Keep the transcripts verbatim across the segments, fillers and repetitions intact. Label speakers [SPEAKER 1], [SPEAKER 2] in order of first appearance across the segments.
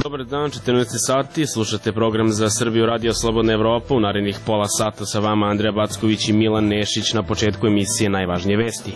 [SPEAKER 1] Dobar dan, četrnaest sati, slušate program za Srbiju Radio Slobodna Evropa. U narednih pola sata sa vama Andreja Backović i Milan Nešić. Na početku emisije najvažnije vesti.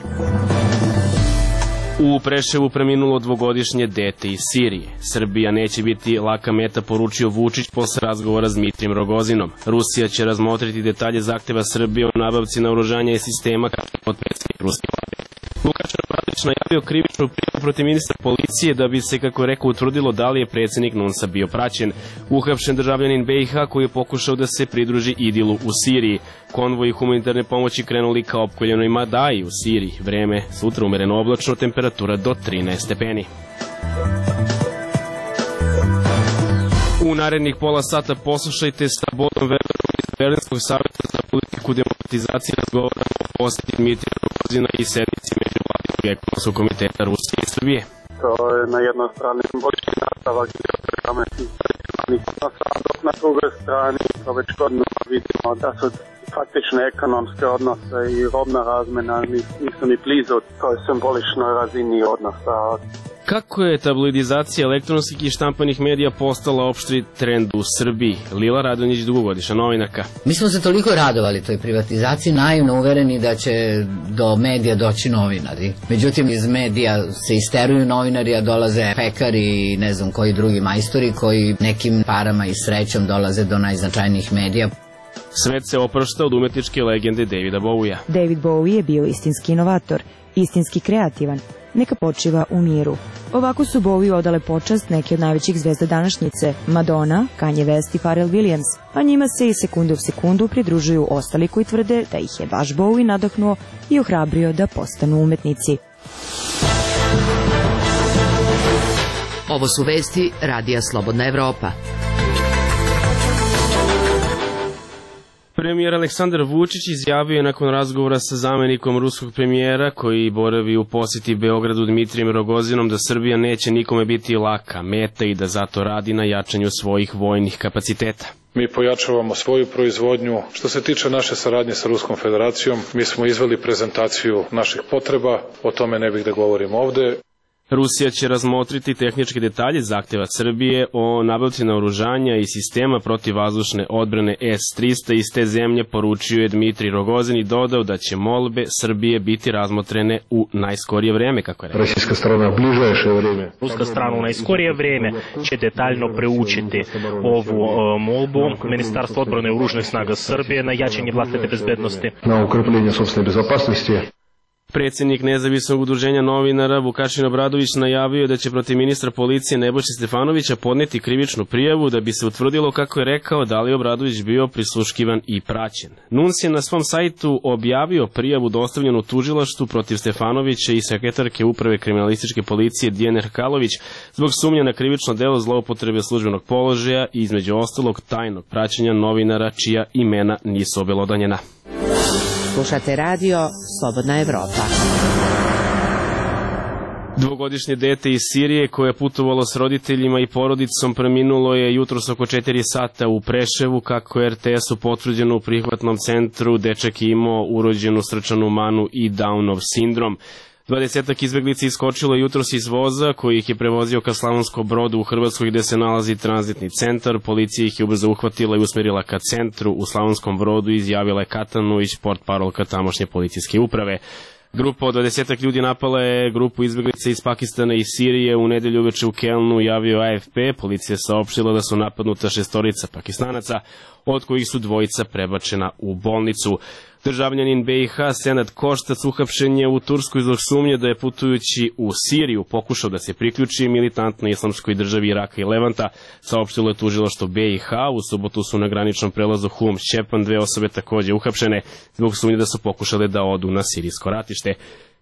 [SPEAKER 1] U Preševu preminulo dvogodišnje dete iz Sirije. Srbija neće biti laka meta, poručio Vučić posle razgovora s Dmitrijem Rogozinom. Rusija će razmotriti detalje zahteva Srbije o nabavci naoružanja i sistema, kao je potpredsjednik ruske vlade. Vukašin Obradović najavio krivičnu prijavu protiv ministra policije da bi se, kako je rekao, utvrdilo da li je predsjednik NUNS-a bio praćen. Uhapšen državljanin B i H koji je pokušao da se pridruži Idilu u Siriji. Konvoji humanitarne pomoći krenuli ka opkoljenoj Madaji u Siriji. Vreme sutra umereno oblačno, temperatura do trinaest stepeni. U narednih pola sata poslušajte sa Bodom Weberom iz Berlinskog savjeta za politiku demokratizacije razgovora o posjeti Dmitrija Rogozina i sednici Međuvladinog ekonomskog komiteta Rusije i Srbije.
[SPEAKER 2] To je na jednoj strani simbolički nastavak geoprogramskih tradicionalnih odnosa, dok na drugoj strani to već godinama vidimo da su faktične ekonomske odnose i robna razmena nisu ni blizu toj simboličnoj razini odnosa.
[SPEAKER 1] Kako je tabloidizacija elektronskih i štampanih medija postala opšti trend u Srbiji? Lila Radonjić, dugogodišnja novinarka.
[SPEAKER 3] Mi smo se toliko radovali toj privatizaciji, naivno uvereni da će do medija doći novinari. Međutim, iz medija se isteruju novinari, a dolaze pekari i ne znam koji drugi majstori koji nekim parama i srećom dolaze do najznačajnijih medija.
[SPEAKER 1] Svet se oprašta od umetničke legende Davida Bowija.
[SPEAKER 4] David Bowie je bio istinski inovator, istinski kreativan. Neka počiva u miru. Ovako su Bowie odale počast neke od najvećih zvezda današnjice, Madonna, Kanye West i Pharrell Williams, a njima se i sekundu u sekundu pridružuju ostali koji tvrde da ih je baš Bowie nadahnuo i ohrabrio da postanu umetnici.
[SPEAKER 5] Ovo su vesti Radija Slobodna Evropa.
[SPEAKER 1] Premijer Aleksandar Vučić izjavio je nakon razgovora sa zamenikom ruskog premijera koji boravi u posjeti Beogradu Dmitrijem Rogozinom da Srbija neće nikome biti laka meta i da zato radi na jačanju svojih vojnih kapaciteta.
[SPEAKER 6] Mi pojačavamo svoju proizvodnju. Što se tiče naše saradnje sa Ruskom federacijom, mi smo izveli prezentaciju naših potreba, o tome ne bih da govorim ovde.
[SPEAKER 1] Rusija će razmotriti tehničke detalje zahteva Srbije o nabavci naoružanja i sistema protivvazdušne odbrane S trista iz te zemlje, poručio je Dmitrij Rogozin i dodao da će molbe Srbije biti razmotrene u najskorije vreme, kako je rekao.
[SPEAKER 7] Ruska strana u bližajše vreme.
[SPEAKER 8] Ruska strana u najskorije vreme će detaljno preučiti ovu uh, molbu Ministarstva odbrane i oružanih snaga Srbije na jačanje vlastite bezbednosti.
[SPEAKER 7] Na ukrepljenje sopstvene bezopasnosti.
[SPEAKER 1] Predsjednik nezavisnog udruženja novinara Vukašin Obradović najavio da će protiv ministra policije Nebojše Stefanovića podneti krivičnu prijavu da bi se utvrdilo, kako je rekao, da li je Obradović bio prisluškivan i praćen. NUNS je na svom sajtu objavio prijavu dostavljenu tužilaštvu protiv Stefanovića i sekretarke uprave kriminalističke policije Dijane Hrkalović zbog sumnje na krivično delo zloupotrebe službenog položaja i između ostalog tajnog praćenja novinara čija imena nisu obelodanjena.
[SPEAKER 5] Slušate radio Slobodna Evropa.
[SPEAKER 1] Dvogodišnje dete iz Sirije koje je putovalo s roditeljima i porodicom preminulo je jutros oko četiri sata u Preševu, kako je R T S-u potvrđeno u prihvatnom centru. Dečak je imao urođenu srčanu manu i Downov sindrom. Dvadesetak izbeglica iskočilo jutros iz voza koji ih je prevozio ka Slavonskom Brodu u Hrvatskoj gde se nalazi tranzitni centar. Policija ih je ubrzo uhvatila i usmerila ka centru u Slavonskom Brodu, izjavila je Katanuić, portparolka tamošnje policijske uprave. Grupa od dvadesetak ljudi napala je grupu izbeglica iz Pakistana i Sirije u nedelju uveče u Kelnu, javio A F P. Policija je saopštila da su napadnuta šestorica Pakistanaca, od kojih su dvojica prebačena u bolnicu. Državljanin B i H Senad Koštac uhapšen je u Turskoj zbog sumnje da je putujući u Siriju pokušao da se priključi militantnoj islamskoj državi Iraka i Levanta, saopštilo je tužilaštvo B i H. U subotu su na graničnom prelazu Hum-Šćepan dve osobe takođe uhapšene zbog sumnje da su pokušale da odu na sirijsko ratište.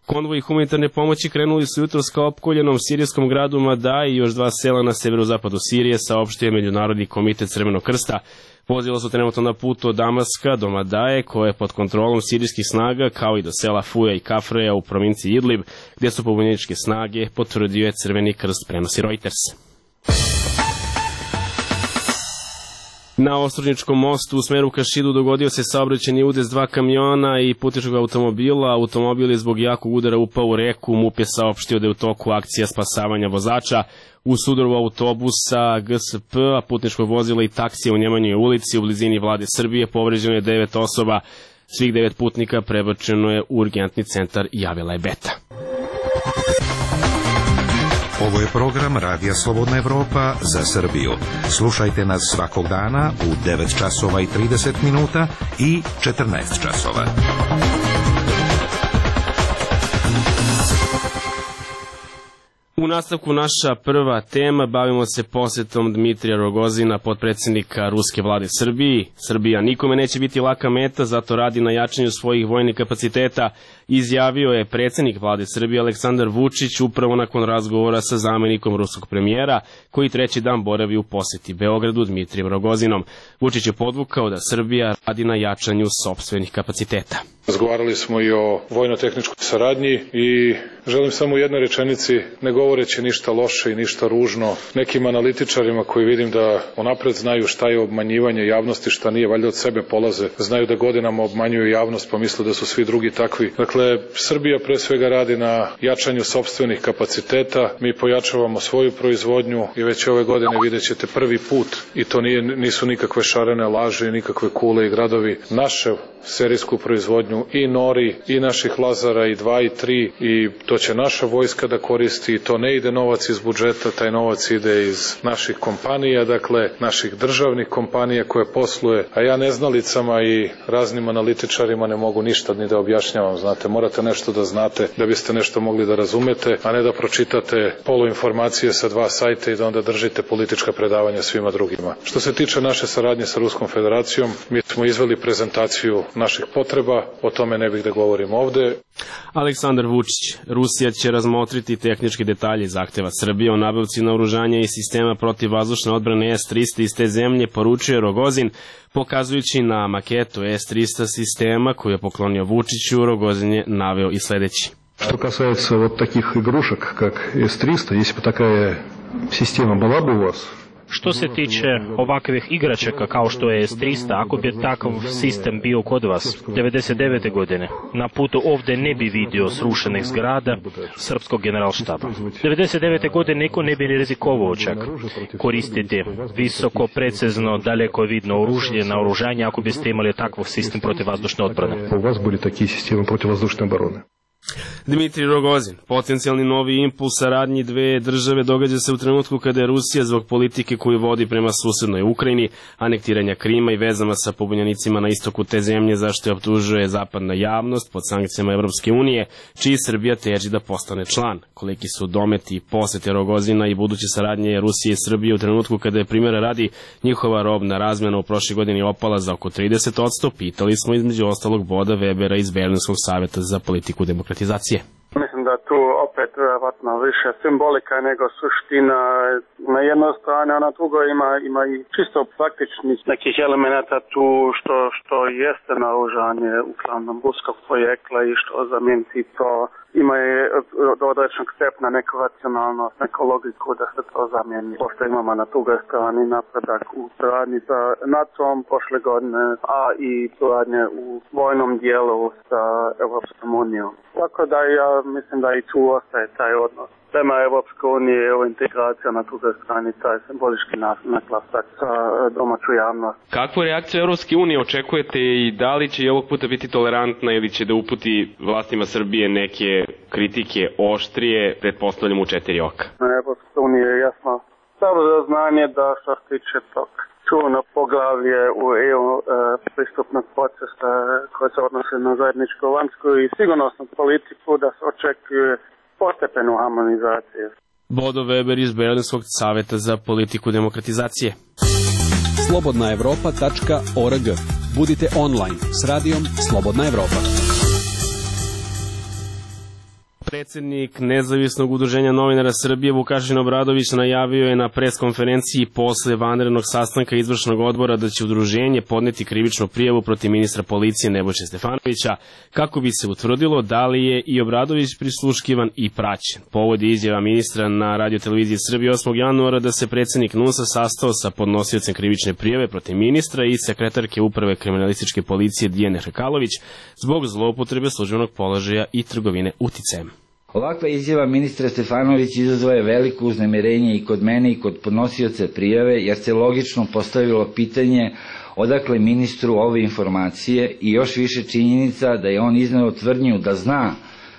[SPEAKER 1] Konvoji humanitarne pomoći krenuli su jutros ka opkoljenom sirijskom gradu Madaj i još dva sela na severozapadu Sirije, saopštio je Međunarodni komitet Crvenog krsta. Vozila su trenutno na putu od Damaska do Madaje, koje je pod kontrolom sirijskih snaga, kao i do sela Fuja i Kafreja u provinciji Idlib, gdje su pobunjeničke snage, potvrdio je Crveni krst, prenosi Reuters. Na Ostružničkom mostu u smeru ka Šidu dogodio se saobraćajni udes dva kamiona i putničkog automobila. Automobil je zbog jakog udara upao u reku. MUP je saopštio da je u toku akcija spasavanja vozača. U sudaru autobusa G S P, a putničkog vozila i taksija u Njemanjoj ulici u blizini Vlade Srbije povređeno je devet osoba. Svih devet putnika prebačeno je u urgentni centar, javila je Beta.
[SPEAKER 9] Ovo je program Radija Slobodna Evropa za Srbiju. Slušajte nas svakog dana u devet časova i trideset minuta i četrnaest časova.
[SPEAKER 1] U nastavku naša prva tema, bavimo se posjetom Dmitrija Rogozina, potpredsjednika Ruske vlade Srbiji. Srbija nikome neće biti laka meta, zato radi na jačanju svojih vojnih kapaciteta, izjavio je predsjednik vlade Srbije Aleksandar Vučić upravo nakon razgovora sa zamjenikom ruskog premijera, koji treći dan boravi u posjeti Beogradu Dmitrijem Rogozinom. Vučić je podvukao da Srbija radi na jačanju sopstvenih kapaciteta.
[SPEAKER 6] Razgovarali smo i o vojno-tehničkoj saradnji i želim samo u jednoj rečenici, ne govoreći ništa loše i ništa ružno, nekim analitičarima koji vidim da unapred znaju šta je obmanjivanje javnosti, šta nije, valjda od sebe polaze, znaju da godinama obmanjuju javnost pa misle da su svi drugi takvi. Dakle, Srbija pre svega radi na jačanju sopstvenih kapaciteta, mi pojačavamo svoju proizvodnju i već ove godine vidjet ćete prvi put, i to nije, nisu nikakve šarene laže, nikakve kule i gradovi, naše serijsku proizvodnju i Nori, i naših Lazara, i dva i tri, i to će naša vojska da koristi, i to ne ide novac iz budžeta, taj novac ide iz naših kompanija, dakle naših državnih kompanija koje posluje, a ja neznalicama i raznim analitičarima ne mogu ništa ni da objašnjavam, znate, morate nešto da znate da biste nešto mogli da razumete, a ne da pročitate poluinformacije sa dva sajta i da onda držite politička predavanja svima drugima. Što se tiče naše saradnje sa Ruskom federacijom, mi smo izveli prezentaciju naših potreba, o tome ne bih da govorim ovde.
[SPEAKER 1] Aleksandar Vučić, Rusija će razmotriti tehničke detalje zahteva Srbije o nabavci naoružanja i sistema protivvazdušne odbrane S trista iz te zemlje, poručuje Rogozin, pokazujući na maketu S trista sistema koju je poklonio Vučiću. Rogozin je naveo i sledeći.
[SPEAKER 7] Что касается вот таких игрушек, как S tristo, если бы такая система была бы у вас,
[SPEAKER 8] Što se tiče ovakvih igračaka kao što je S trista, ako bi takav sistem bio kod vas devedeset devete godine, na putu ovde ne bi vidio srušenih zgrada srpskog generalštaba. devedeset devete godine niko ne bi ni rizikovao čak koristiti visoko, precizno, daleko vidno oružje, naoružanje ako biste imali takav sistem protivvazdušne odbrane.
[SPEAKER 7] У вас были такие системы противовоздушной обороны.
[SPEAKER 1] Dmitrij Rogozin, potencijalni novi impuls saradnji dve države događa se u trenutku kada je Rusija zbog politike koju vodi prema susednoj Ukrajini, anektiranja Krima i vezama sa pobunjenicima na istoku te zemlje, zašto je optužuje zapadna javnost pod sankcijama Evropske unije, čiji Srbija teži da postane član. Koliki su dometi i posete Rogozina i buduće saradnje Rusije i Srbije u trenutku kada je, primjera radi, njihova robna razmjena u prošle godini opala za oko trideset posto, pitali smo između ostalog Boda Webera iz Berlinskog saveta za politiku demokratizacije.
[SPEAKER 2] Mislim da tu opet vjerovatno više simbolika nego suština na jednoj strani, a na drugoj ima, ima i čisto praktičnih nekih elemenata tu što, što jeste naoružanje uglavnom ruskog porijekla i što zamijeniti to ima i do određenog stepna neku racionalnost, neku logiku da se to zamijeni. Pošto imamo na drugoj strani napredak u suradnji sa NATO-om prošle godine, a i suradnje u vojnom dijelu sa Evropskom unijom. Tako da ja mislim da i tu ostaje taj odnos prema Evropskoj uniji, evo integracija na drugoj strani, taj simbolički naglasak sa domaću javnost.
[SPEAKER 1] Kakvu reakciju Evropske unije očekujete i da li će i ovog puta biti tolerantna ili će da uputi vlastima Srbije neke kritike oštrije, pretpostavljamo u četiri oka?
[SPEAKER 2] Na Evropskoj uniji je jasno samo za znanje da što se tiče tog čuveno poglavlje u E U e, pristupnog procesa koje se odnose na zajedničku vanjsku i sigurnosnu politiku da se očekuje postepenu harmonizaciju.
[SPEAKER 1] Bodo Weber iz Berlinskog saveta za politiku demokratizacije.
[SPEAKER 10] slobodna evropa tačka org. Budite online s radijom Slobodna Evropa.
[SPEAKER 1] Predsednik Nezavisnog udruženja novinara Srbije Vukašin Obradović najavio je na preskonferenciji posle vanrednog sastanka izvršnog odbora da će udruženje podneti krivičnu prijavu protiv ministra policije Nebojše Stefanovića kako bi se utvrdilo da li je i Obradović prisluškivan i praćen. Povod je izjava ministra na radioteleviziji Srbije osmog januara da se predsednik N U S-a sastao sa podnosiocem krivične prijave protiv ministra i sekretarke uprave kriminalističke policije Dijane Hrkalović zbog zloupotrebe službenog položaja i trgovine uticajem.
[SPEAKER 11] Ovakva izjava ministra Stefanović izazvala je veliko uznemirenje i kod mene i kod podnosioca prijave, jer se logično postavilo pitanje odakle ministru ove informacije i još više činjenica da je on izneo tvrdnju da zna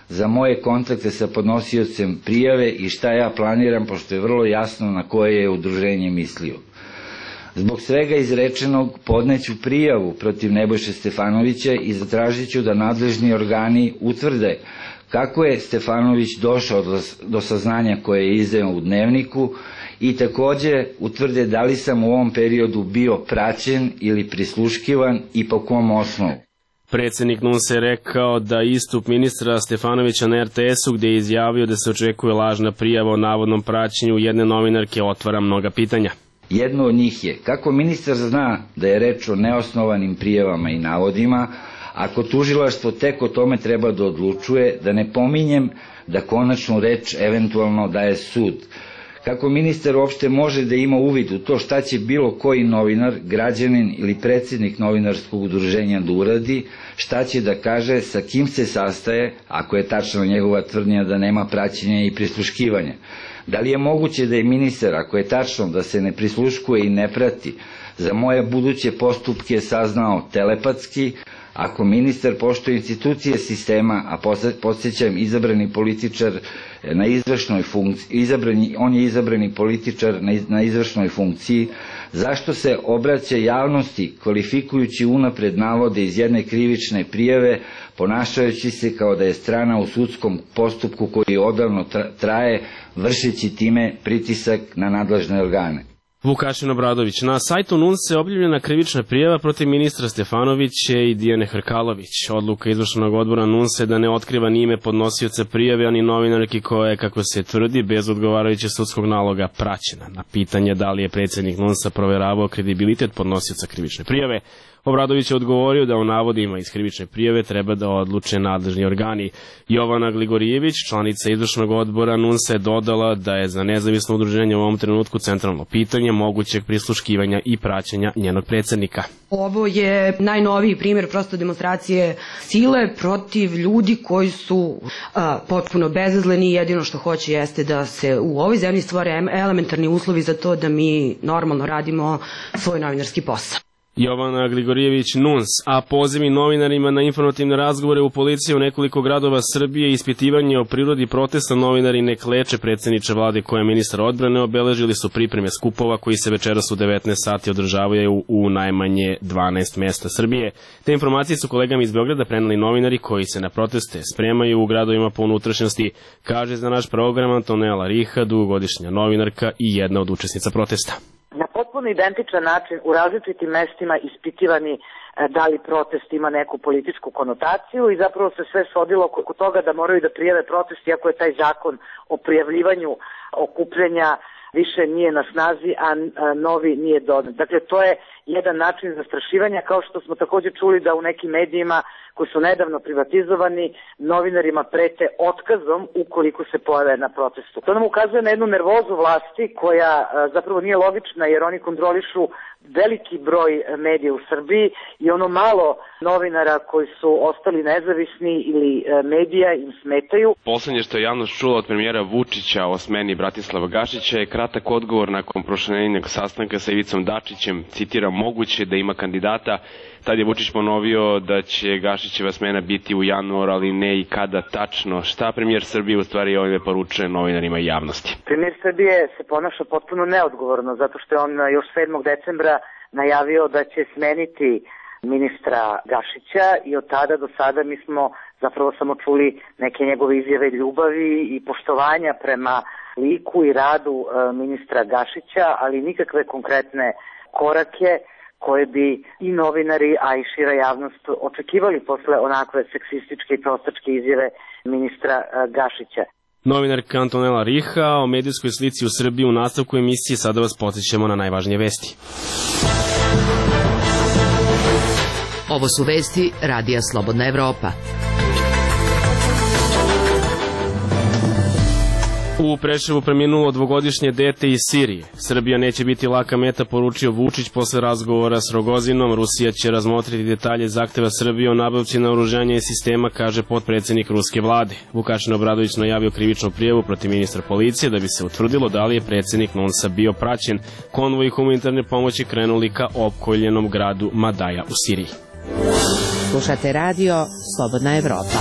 [SPEAKER 11] za moje kontakte sa podnosiocem prijave i šta ja planiram, pošto je vrlo jasno na koje je udruženje mislio. Zbog svega izrečenog podneću prijavu protiv Nebojše Stefanovića i zatražit ću da nadležni organi utvrde kako je Stefanović došao do, do saznanja koje je izdao u dnevniku i takođe utvrde da li sam u ovom periodu bio praćen ili prisluškivan i po kom osnovu.
[SPEAKER 1] Predsednik N U S-a je rekao da istup ministra Stefanovića na R T S-u gde je izjavio da se očekuje lažna prijava o navodnom praćenju jedne novinarke otvara mnoga pitanja.
[SPEAKER 11] Jedno od njih je kako ministar zna da je reč o neosnovanim prijavama i navodima, ako tužilaštvo tek o tome treba da odlučuje, da ne pominjem da konačnu reč eventualno daje sud. Kako ministar uopšte može da ima uvid u to šta će bilo koji novinar, građanin ili predsednik novinarskog udruženja da uradi, šta će da kaže, sa kim se sastaje, ako je tačna njegova tvrdnja da nema praćenja i prisluškivanja. Da li je moguće da je ministar, ako je tačno da se ne prisluškuje i ne prati, za moje buduće postupke saznao telepatski, ako ministar poštuje institucije sistema, a podsjećam izabrani političar na izvršnoj funkciji, izabrani, on je izabrani političar na, na izvršnoj funkciji, zašto se obraća javnosti kvalifikujući unapred navode iz jedne krivične prijave, ponašajući se kao da je strana u sudskom postupku koji odavno traje, vršeći time pritisak na nadležne organe.
[SPEAKER 1] Vukašin Obradović. Na sajtu N U S-a je objavljena krivična prijava protiv ministra Stefanovića i Dijane Hrkalović. Odluka izvršnog odbora N U S-a je da ne otkriva ni ime podnosioca prijave, ani novinarki koja je, kako se tvrdi, bez odgovarajućeg sudskog naloga praćena. Na pitanje da li je predsednik N U S-a proveravao kredibilitet podnosioca krivične prijave, Obradović je odgovorio da o navodima iz krivične prijave treba da odluče nadležni organi. Jovana Gligorijević, članica izvršnog odbora N U S-a, je dodala da je za nezavisno udruženje u ovom trenutku centralno pitanje mogućeg prisluškivanja i praćenja njenog predsednika.
[SPEAKER 12] Ovo je najnoviji primjer prosto demonstracije sile protiv ljudi koji su a, potpuno bezazleni i jedino što hoće jeste da se u ovoj zemlji stvore elementarni uslovi za to da mi normalno radimo svoj novinarski posao.
[SPEAKER 1] Jovana Gligorijević, N U S, a pozivi novinarima na informativne razgovore u policiji u nekoliko gradova Srbije i ispitivanje o prirodi protesta novinari ne kleče predsjedniče vlade koja je ministar odbrane obeležili su pripreme skupova koji se večeras u devetnaest sati održavaju u najmanje dvanaest mesta Srbije. Te informacije su kolegama iz Beograda preneli novinari koji se na proteste spremaju u gradovima po unutrašnjosti, kaže za naš program Antonela Riha, dugogodišnja novinarka i jedna od učesnica protesta.
[SPEAKER 13] Na potpuno identičan način u različitim mestima ispitivani da li protest ima neku političku konotaciju i zapravo se sve svodilo oko toga da moraju da prijave protest iako je taj zakon o prijavljivanju okupljenja više nije na snazi, a novi nije dodan. Dakle, to je jedan način zastrašivanja, kao što smo takođe čuli da u nekim medijima koji su nedavno privatizovani, novinarima prete otkazom ukoliko se pojave na protestu. To nam ukazuje na jednu nervozu vlasti koja zapravo nije logična jer oni kontrolišu veliki broj medija u Srbiji i ono malo novinara koji su ostali nezavisni ili medija im smetaju.
[SPEAKER 14] Poslednje što je javnost čula od premijera Vučića o smeni Bratislava Gašića je kratak odgovor nakon prošlenjenog sastanka sa Ivicom Dačićem, citiram, moguće da ima kandidata. Tad je Vučić ponovio da će Gašićeva smena biti u januaru, ali ne i kada tačno. Šta premijer Srbije u stvari ovime poručuje novinarima i javnosti?
[SPEAKER 13] Premijer Srbije se ponaša potpuno neodgovorno, zato što je on još sedmog decembra najavio da će smeniti ministra Gašića i od tada do sada mi smo zapravo samo čuli neke njegove izjave ljubavi i poštovanja prema liku i radu ministra Gašića, ali nikakve konkretne korake koje bi i novinari, a i šira javnost očekivali posle onakve seksističke i prostačke izjave ministra Gašića.
[SPEAKER 1] Novinarka Antonela Riha o medijskoj slici u Srbiji u nastavku emisije. Sada vas podsjećamo na najvažnije vesti.
[SPEAKER 5] Ovo su vesti Radija Slobodna Evropa.
[SPEAKER 1] U Preševu preminulo dvogodišnje dete iz Sirije. Srbija neće biti laka meta, poručio Vučić posle razgovora s Rogozinom. Rusija će razmotriti detalje zahteva Srbije o nabavci naoružanja i sistema, kaže potpredsednik ruske vlade. Vukašin Obradović najavio krivičnu prijavu protiv ministra policije da bi se utvrdilo da li je predsednik Nunsa bio praćen. Konvoji humanitarne pomoći krenuli ka opkoljenom gradu Madaja u Siriji.
[SPEAKER 15] Slušate radio Slobodna Evropa.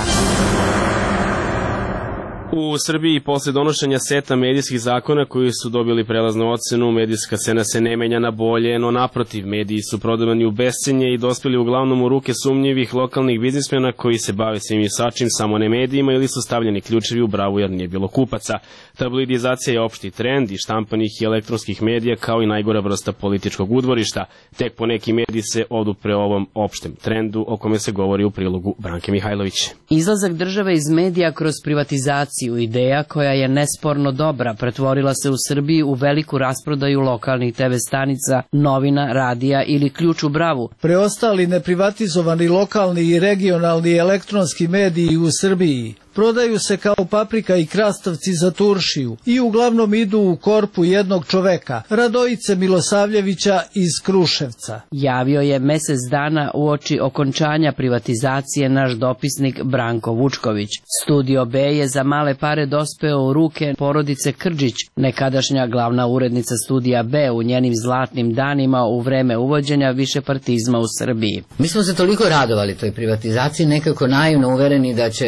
[SPEAKER 1] U Srbiji posle donošenja seta medijskih zakona koji su dobili prelaznu ocenu, medijska scena se ne menja na bolje, no naprotiv, mediji su prodavani u bescenje i dospeli uglavnom u ruke sumnjivih lokalnih biznismena koji se bave svim i svačim, samo ne medijima, ili su stavljeni ključevi u bravu jer nije bilo kupaca. Tabloidizacija je opšti trend i štampanih i elektronskih medija kao i najgora vrsta političkog udvorišta. Tek po neki mediji se odupre ovom opštem trendu o kome se govori u prilogu Branke Mihajlović.
[SPEAKER 16] Izlazak države iz medija kroz privatizaciju, ideja koja je nesporno dobra, pretvorila se u Srbiji u veliku rasprodaju lokalnih te ve stanica, novina, radija ili ključ u bravu.
[SPEAKER 17] Preostali neprivatizovani lokalni i regionalni elektronski mediji u Srbiji prodaju se kao paprika i krastavci za turšiju i uglavnom idu u korpu jednog čoveka, Radojice Milosavljevića iz Kruševca.
[SPEAKER 16] Javio je mesec dana uoči okončanja privatizacije naš dopisnik Branko Vučković. Studio B je za male pare dospeo u ruke porodice Krđić, nekadašnja glavna urednica Studija B u njenim zlatnim danima u vreme uvođenja višepartizma u Srbiji.
[SPEAKER 3] Mi smo se toliko radovali toj privatizaciji, nekako naivno uvereni da će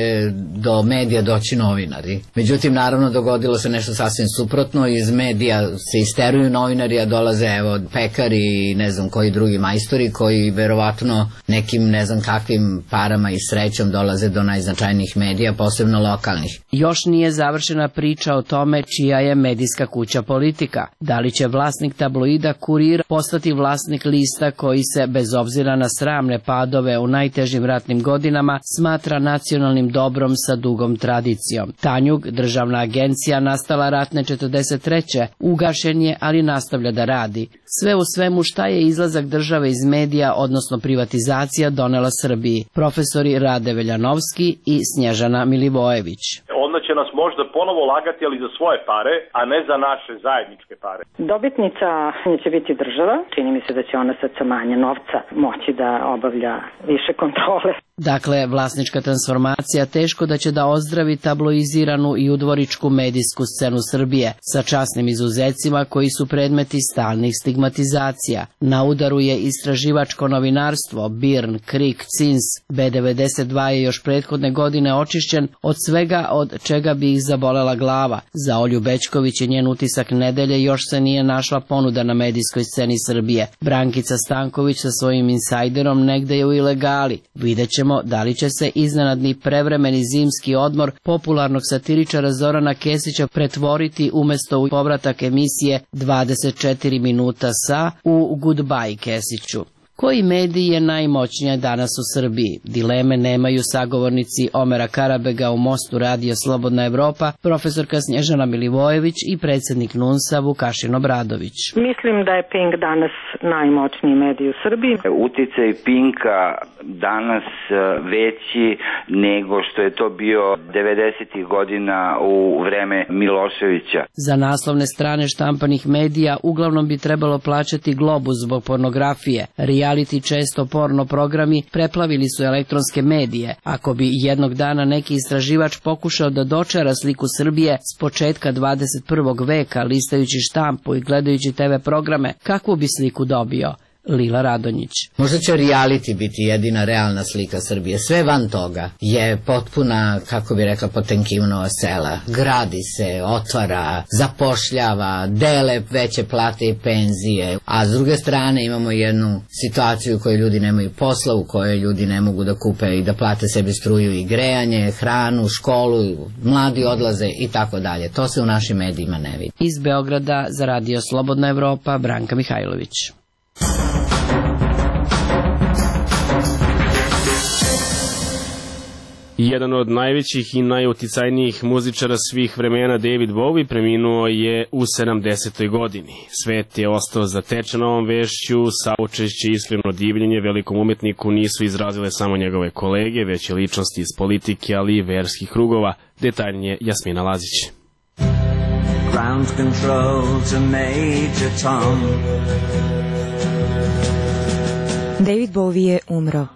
[SPEAKER 3] do medija doći novinari. Međutim, naravno, dogodilo se nešto sasvim suprotno. Iz medija se isteruju novinari, a dolaze, evo, pekari i ne znam koji drugi majstori koji verovatno nekim ne znam kakvim parama i srećom dolaze do najznačajnijih medija, posebno lokalnih.
[SPEAKER 16] Još nije završena priča o tome čija je medijska kuća Politika. Da li će vlasnik tabloida Kurir postati vlasnik lista koji se, bez obzira na sramne padove u najtežim ratnim godinama, smatra nacionalnim dobrom sa dugom tradicijom. Tanjug, državna agencija nastala ratne četrdeset treće ugašen je, ali nastavlja da radi. Sve u svemu, šta je izlazak države iz medija, odnosno privatizacija, donela Srbiji? Profesori Rade Veljanovski i Snježana Milivojević.
[SPEAKER 18] Onda će nas možda ponovo lagati, ali za svoje pare, a ne za naše zajedničke pare.
[SPEAKER 19] Dobitnica će biti država. Čini mi se da će ona sad sa manje novca moći da obavlja više kontrole.
[SPEAKER 16] Dakle, vlasnička transformacija teško da će da ozdravi tabloiziranu i udvoričku medijsku scenu Srbije, sa časnim izuzecima koji su predmeti stalnih stigmatizacija. Na udaru je istraživačko novinarstvo, Birn, Krik, Cins, B devedeset dva je još prethodne godine očišćen od svega od čega bi ih zabolela glava. Za Olju Bećković i njen utisak nedelje još se nije našla ponuda na medijskoj sceni Srbije. Brankica Stanković sa svojim insajderom negde je u ilegali. Vidjet ćemo da li će se iznenadni prevremeni zimski odmor popularnog satiričara Zorana Kesića pretvoriti umesto u povratak emisije dvadeset četiri minuta sa u Goodbye Kesiću. Koji medij je najmoćniji danas u Srbiji? Dileme nemaju sagovornici Omera Karabega u Mostu Radija Slobodna Evropa, profesorka Snježana Milivojević i predsednik Nunsa Vukašin Obradović.
[SPEAKER 19] Mislim da je Pink danas najmoćniji medij u Srbiji.
[SPEAKER 11] Uticaj Pinka danas veći nego što je to bio devedesetih godina u vreme Miloševića.
[SPEAKER 16] Za naslovne strane štampanih medija uglavnom bi trebalo plaćati Globus zbog pornografije. Reality, često porno programi, preplavili su elektronske medije. Ako bi jednog dana neki istraživač pokušao da dočara sliku Srbije s početka dvadeset prvog veka, listajući štampu i gledajući te ve programe, kakvu bi sliku dobio? Lila Radonjić.
[SPEAKER 3] Možda će reality biti jedina realna slika Srbije. Sve van toga je potpuna, kako bi rekla, Potemkinova sela. Gradi se, otvara, zapošljava, dele veće plate i penzije. A s druge strane imamo jednu situaciju u kojoj ljudi nemaju posla, u kojoj ljudi ne mogu da kupe i da plate sebi struju i grejanje, hranu, školu, mladi odlaze i tako dalje. To se u našim medijima ne vidi.
[SPEAKER 16] Iz Beograda za Radio Slobodna Evropa, Branka Mihajlović.
[SPEAKER 1] Jedan od najvećih i najuticajnijih muzičara svih vremena, David Bowie, preminuo je u sedamdesetoj godini. Svet je ostao zatečen ovom vešću, saučešće i iskreno divljenje velikom umetniku nisu izrazile samo njegove kolege, već i ličnosti iz politike, ali i verskih krugova. Detaljnije Jasmina Lazić.
[SPEAKER 20] Ground control to Major Tom.
[SPEAKER 4] David Bowie je umro.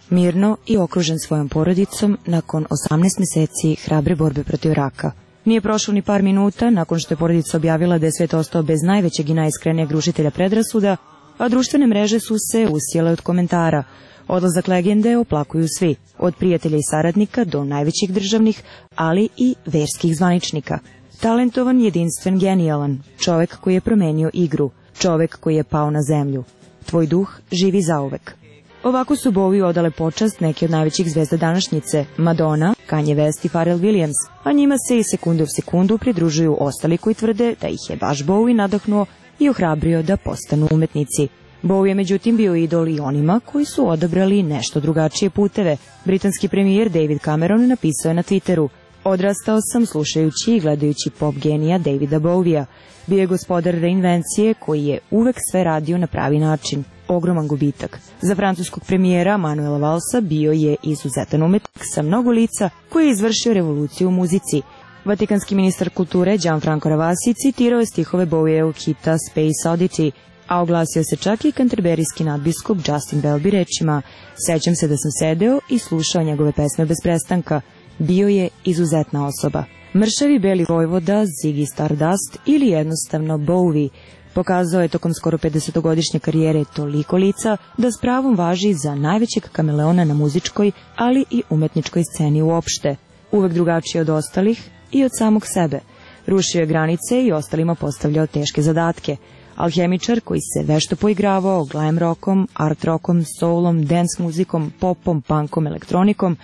[SPEAKER 4] Mirno i okružen svojom porodicom nakon osamnaest meseci hrabre borbe protiv raka. Nije prošlo ni par minuta nakon što je porodica objavila da je svet ostao bez najvećeg i najiskrenijeg rušitelja predrasuda, a društvene mreže su se usijale od komentara. Odlazak legende oplakuju svi, od prijatelja i saradnika do najvećih državnih, ali i verskih zvaničnika. Talentovan, jedinstven, genijalan, čovek koji je promenio igru, čovek koji je pao na zemlju. Tvoj duh živi zauvek. Ovako su Bowie odale počast neke od najvećih zvezda današnjice, Madonna, Kanye West i Pharrell Williams, a njima se i sekunde u sekundu pridružuju ostali koji tvrde da ih je baš Bowie nadahnuo i ohrabrio da postanu umetnici. Bowie je međutim bio idol i onima koji su odabrali nešto drugačije puteve. Britanski premijer David Cameron napisao je na Twitteru: "Odrastao sam slušajući i gledajući pop genija Davida Bowie-a. Bio je gospodar reinvencije koji je uvek sve radio na pravi način. Ogroman gubitak. Za francuskog premijera Manuela Valsa bio je izuzetan umetnik sa mnogo lica koji je izvršio revoluciju u muzici." Vatikanski ministar kulture Gianfranco Ravasi citirao je stihove Bowievog hita Space Oddity, a oglasio se čak i kanterberijski nadbiskup Justin Welby rečima: "Sećam se da sam sedeo i slušao njegove pesme bez prestanka. Bio je izuzetna osoba." Mršavi beli vojvoda, Ziggy Stardust ili jednostavno Bowie pokazao je tokom skoro pedesetogodišnje karijere toliko lica da s pravom važi za najvećeg kameleona na muzičkoj, ali i umetničkoj sceni uopšte. Uvek drugačiji od ostalih i od samog sebe. Rušio je granice i ostalima postavljao teške zadatke. Alhemičar koji se vešto poigravao glam rockom, art rockom, soulom, dance muzikom, popom, punkom, elektronikom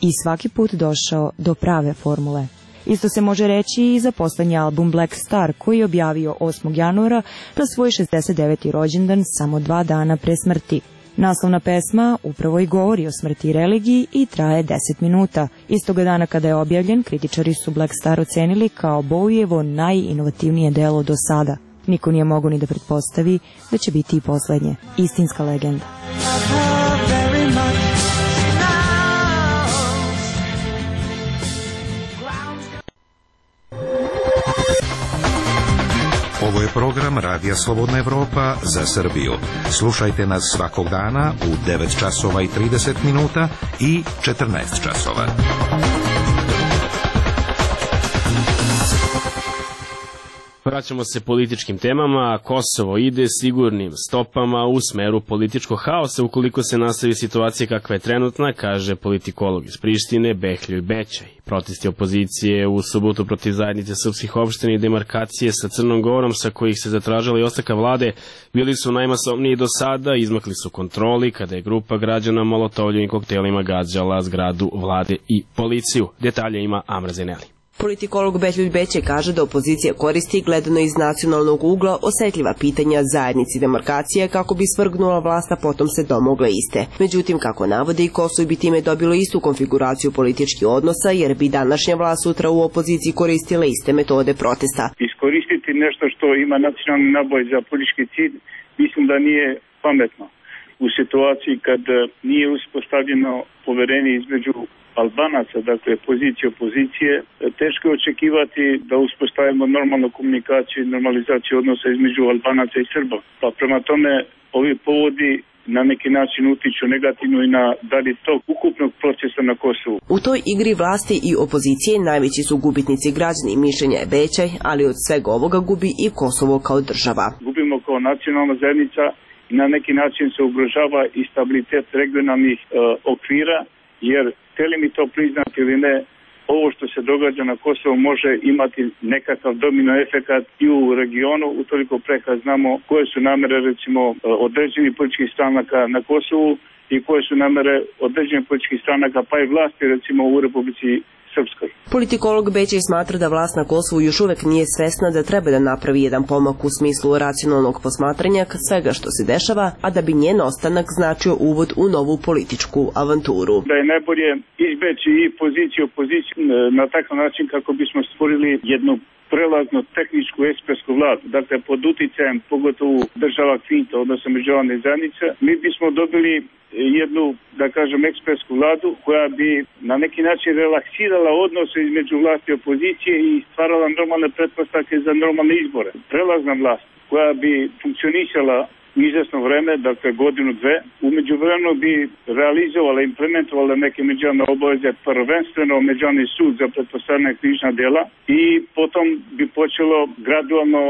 [SPEAKER 4] i svaki put došao do prave formule. Isto se može reći i za poslednji album Black Star, koji je objavio osmog januara na svoj šezdeset deveti rođendan samo dva dana pre smrti. Naslovna pesma upravo i govori o smrti i religiji i traje deset minuta. Istoga dana kada je objavljen, kritičari su Black Star ocenili kao Bowievo najinovativnije delo do sada. Niko nije mogao ni da pretpostavi da će biti i poslednje. Istinska legenda.
[SPEAKER 9] Ovo je program Radija Slobodna Evropa za Srbiju. Slušajte nas svakog dana u devet časova i trideset minuta i četrnaest časova.
[SPEAKER 1] Vraćamo se političkim temama. Kosovo ide sigurnim stopama u smeru političkog haosa ukoliko se nastavi situacija kakva je trenutna, kaže politikolog iz Prištine Behljoj Bećaj. Protesti opozicije u subotu protiv zajednice srpskih opština i demarkacije sa Crnom Gorom, sa kojih se zatražila i ostavka vlade, bili su najmasovniji do sada, izmakli su kontroli kada je grupa građana molotovljivim koktelima gađala zgradu vlade i policiju. Detalje ima Amra Zeneli.
[SPEAKER 21] Politikolog Behljoj Bećaj kaže da opozicija koristi, gledano iz nacionalnog ugla, osetljiva pitanja zajednici demarkacije kako bi svrgnula vlast, a potom se domogla iste. Međutim, kako navode, i Kosovo bi time dobilo istu konfiguraciju političkih odnosa, jer bi današnja vlast sutra u opoziciji koristila iste metode protesta.
[SPEAKER 22] Iskoristiti nešto što ima nacionalni naboj za politički cilj, mislim da nije pametno. U situaciji kad nije uspostavljeno poverenje između Albanaca, dakle pozicije opozicije, teško je očekivati da uspostavimo normalnu komunikaciju i normalizaciju odnosa između Albanaca i Srba. Pa prema tome, ovi povodi na neki način utiču negativno i na dalji tok ukupnog procesa na Kosovu.
[SPEAKER 21] U toj igri vlasti i opozicije najveći su gubitnici građani, mišljenja je Bećaj, ali od svega ovoga gubi i Kosovo kao država.
[SPEAKER 22] Gubimo kao nacionalna zajednica i na neki način se ugrožava i stabilitet regionalnih e, okvira, jer hteli mi to priznati ili ne, ovo što se događa na Kosovu može imati nekakav domino efekat i u regionu, utoliko pre kad znamo koje su namere recimo određenih političkih stranaka na Kosovu i koje su namere određenih političkih stranaka pa i vlasti recimo u Republici srpskoj.
[SPEAKER 21] Politikolog Bećej smatra da vlast na Kosovu još uvek nije svesna da treba da napravi jedan pomak u smislu racionalnog posmatranja svega što se dešava, a da bi njen ostanak značio uvod u novu političku avanturu.
[SPEAKER 22] Da je najbolje izbeći i poziciju opoziciju na takav način kako bismo stvorili jednu prelazno tehničku ekspertsku vladu, dakle pod uticajem pogotovo država Kvinta, odnosno međunarodne zajednice, mi bismo dobili jednu, da kažem, ekspertsku vladu koja bi na neki način relaksirala odnose između vlasti i opozicije i stvarala normalne pretpostavke za normalne izbore. Prelazna vlast koja bi funkcionisala u izvesno vreme, dakle godinu, dve, umeđu vremenu bi realizovala, implementovala neke međunarodne obaveze, prvenstveno međunarodni sud za pretpostavljena krivična dela i potom bi počelo gradualno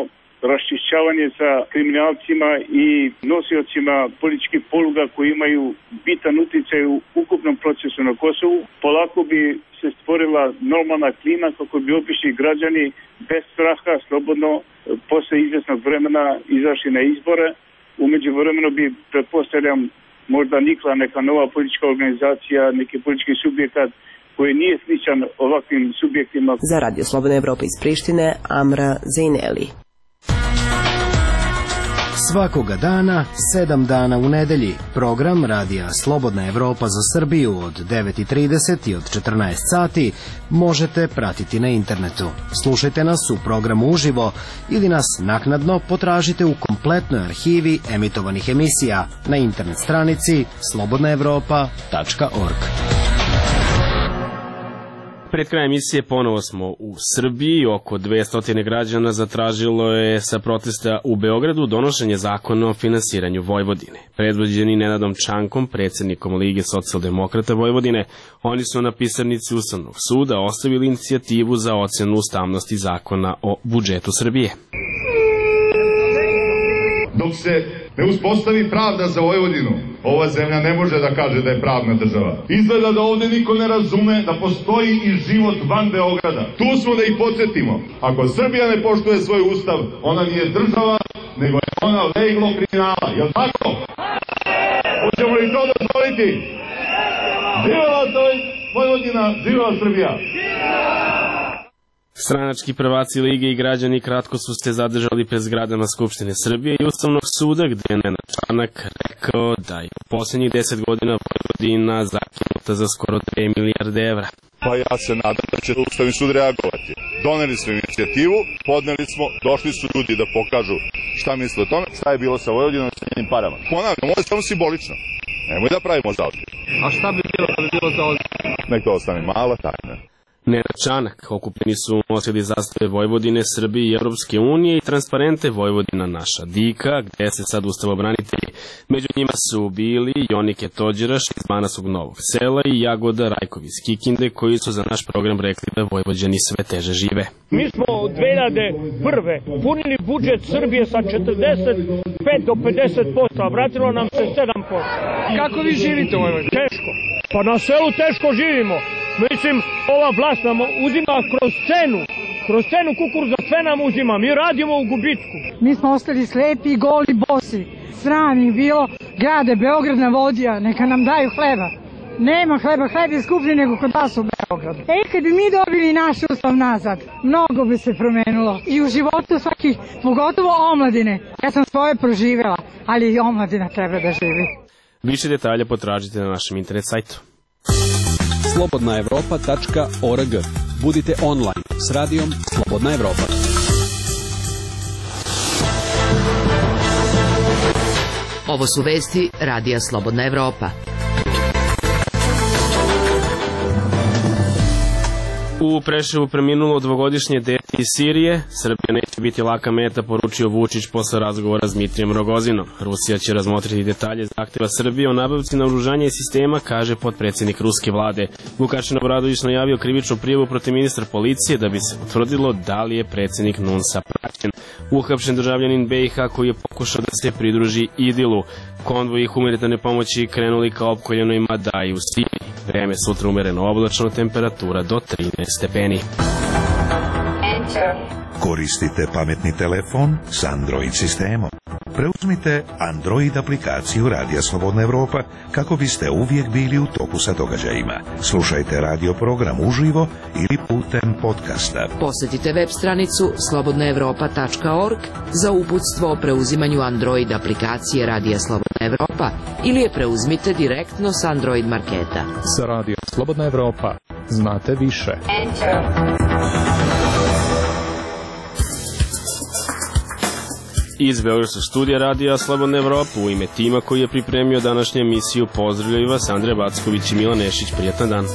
[SPEAKER 22] raščišćavanje sa kriminalcima i nosiocima političkih poluga koji imaju bitan uticaj u ukupnom procesu na Kosovu. Polako bi se stvorila normalna klima kako bi obični građani bez straha, slobodno, posle izvesnog vremena izašli na izbore. Umeđu vremenu bi, pretpostavljam, možda nikla neka nova politička organizacija, neki politički subjekat koji nije sličan ovakvim subjektima.
[SPEAKER 21] Za Radio Slobodna Evropa iz Prištine, Amra Zejneli.
[SPEAKER 6] Svakoga dana, sedam dana u nedelji, program Radija Slobodna Evropa za Srbiju od devet i trideset i od četrnaest sati možete pratiti na internetu. Slušajte nas u programu uživo ili nas naknadno potražite u kompletnoj arhivi emitovanih emisija na internet stranici slobodna evropa tačka org.
[SPEAKER 1] Pred krajem emisije ponovo smo u Srbiji. Oko dvesta građana zatražilo je sa protesta u Beogradu donošenje zakona o finansiranju Vojvodine. Predvođeni Nenadom Čankom, predsjednikom Lige socijaldemokrata Vojvodine, oni su na pisarnici Ustavnog suda ostavili inicijativu za ocenu ustavnosti zakona o budžetu Srbije.
[SPEAKER 8] Dok se ne uspostavi pravda za Vojvodinu, ova zemlja ne može da kaže da je pravna država. Izgleda da ovde niko ne razume da postoji i život van Beograda. Tu smo da ih podsjetimo. Ako Srbija ne poštuje svoj ustav, ona nije država, nego je ona leglo kriminala. Jel' tako? Hoćemo li to dozvoliti? Živela Vojvodina, živela Srbija!
[SPEAKER 1] Stranački prvaci Lige i građani kratko su se zadržali pred zgradama Skupštine Srbije i Ustavnog suda, gde je Nenad Čanak rekao da je u posljednjih deset godina Vojvodina zakinuta za skoro dve milijarde evra.
[SPEAKER 8] Pa ja se nadam da će Ustavni sud reagovati. Doneli smo inicijativu, podneli smo, došli su ljudi da pokažu šta misle o tome, šta je bilo sa Vojvodinom i sa njenim parama. Ponavljam, ovo je samo simbolično. Nemoj da pravimo zaozbilj.
[SPEAKER 23] A šta bi bilo da bi bilo zaozbilj?
[SPEAKER 8] Nek to ostane mala tajna.
[SPEAKER 1] Nenad Čanak, okupljeni su nosili zastave Vojvodine, Srbije i Evropske unije i transparente Vojvodina naša dika, gde se sad ustavobranitelji. Među njima su bili Jonike Tođeraš iz Manasog Novog Sela i Jagoda Rajković iz Kikinde, koji su za naš program rekli da Vojvođani sve teže žive.
[SPEAKER 24] Mi smo od dve hiljade prve punili budžet Srbije sa četrdeset pet do pedeset posto, a vratilo nam se sedam posto.
[SPEAKER 23] Kako vi živite u Vojvodini?
[SPEAKER 24] Teško. Pa na selu teško živimo. Mislim, ova vlast nam uzima kroz cenu, kroz cenu kukuruza, sve nam uzima, mi radimo u gubitku.
[SPEAKER 25] Mi smo ostali slepi, goli, bosi. Sram ih bilo, grade Beograd navodija, neka nam daju hleba. Nema hleba, hleb je skuplji nego kod vas u Beogradu. E, kad bi mi dobili naš ustav nazad, mnogo bi se promenilo. I u životu svakih, pogotovo omladine. Ja sam svoje proživjela, ali i omladina treba da živi.
[SPEAKER 1] Više detalja potražite na našem internet sajtu.
[SPEAKER 10] slobodna evropa tačka org. Budite online s radijom Slobodna Evropa.
[SPEAKER 5] Ovo su vesti Radija Slobodna Evropa.
[SPEAKER 1] U Preševu preminulo dvogodišnje dete iz Sirije. Srbija neće biti laka meta, poručio Vučić posle razgovora s Dmitrijem Rogozinom. Rusija će razmotriti detalje zahteva Srbije o nabavci naoružanja i sistema, kaže potpredsjednik ruske vlade. Vukašin Obradović najavio krivičnu prijavu protiv ministra policije da bi se utvrdilo da li je predsjednik Nunsa praćen. Uhapšen državljanin B i H koji je pokušao da se pridruži Idilu. Konvoji humanitarne pomoći krenuli ka opkoljenoj Madaji u Siriji. Vreme sutra umereno oblačno, temperatura do trinaest stepeni.
[SPEAKER 9] Koristite pametni telefon s Android sistemom. Preuzmite Android aplikaciju Radija Slobodna Evropa kako biste uvijek bili u toku sa događajima. Slušajte radio program uživo ili putem podcasta.
[SPEAKER 5] Posjetite web stranicu slobodna evropa tačka org za uputstvo o preuzimanju Android aplikacije Radija Slobodna Evropa ili je preuzmite direktno s Android marketa.
[SPEAKER 2] Sa Radio Slobodna Evropa znate više.
[SPEAKER 1] Iz Beogradskog studija Radija Slobodna Evropa u ime tima koji je pripremio današnju emisiju pozdravljaju vas Andrej Backović i Milan Nešić. Prijatan dan.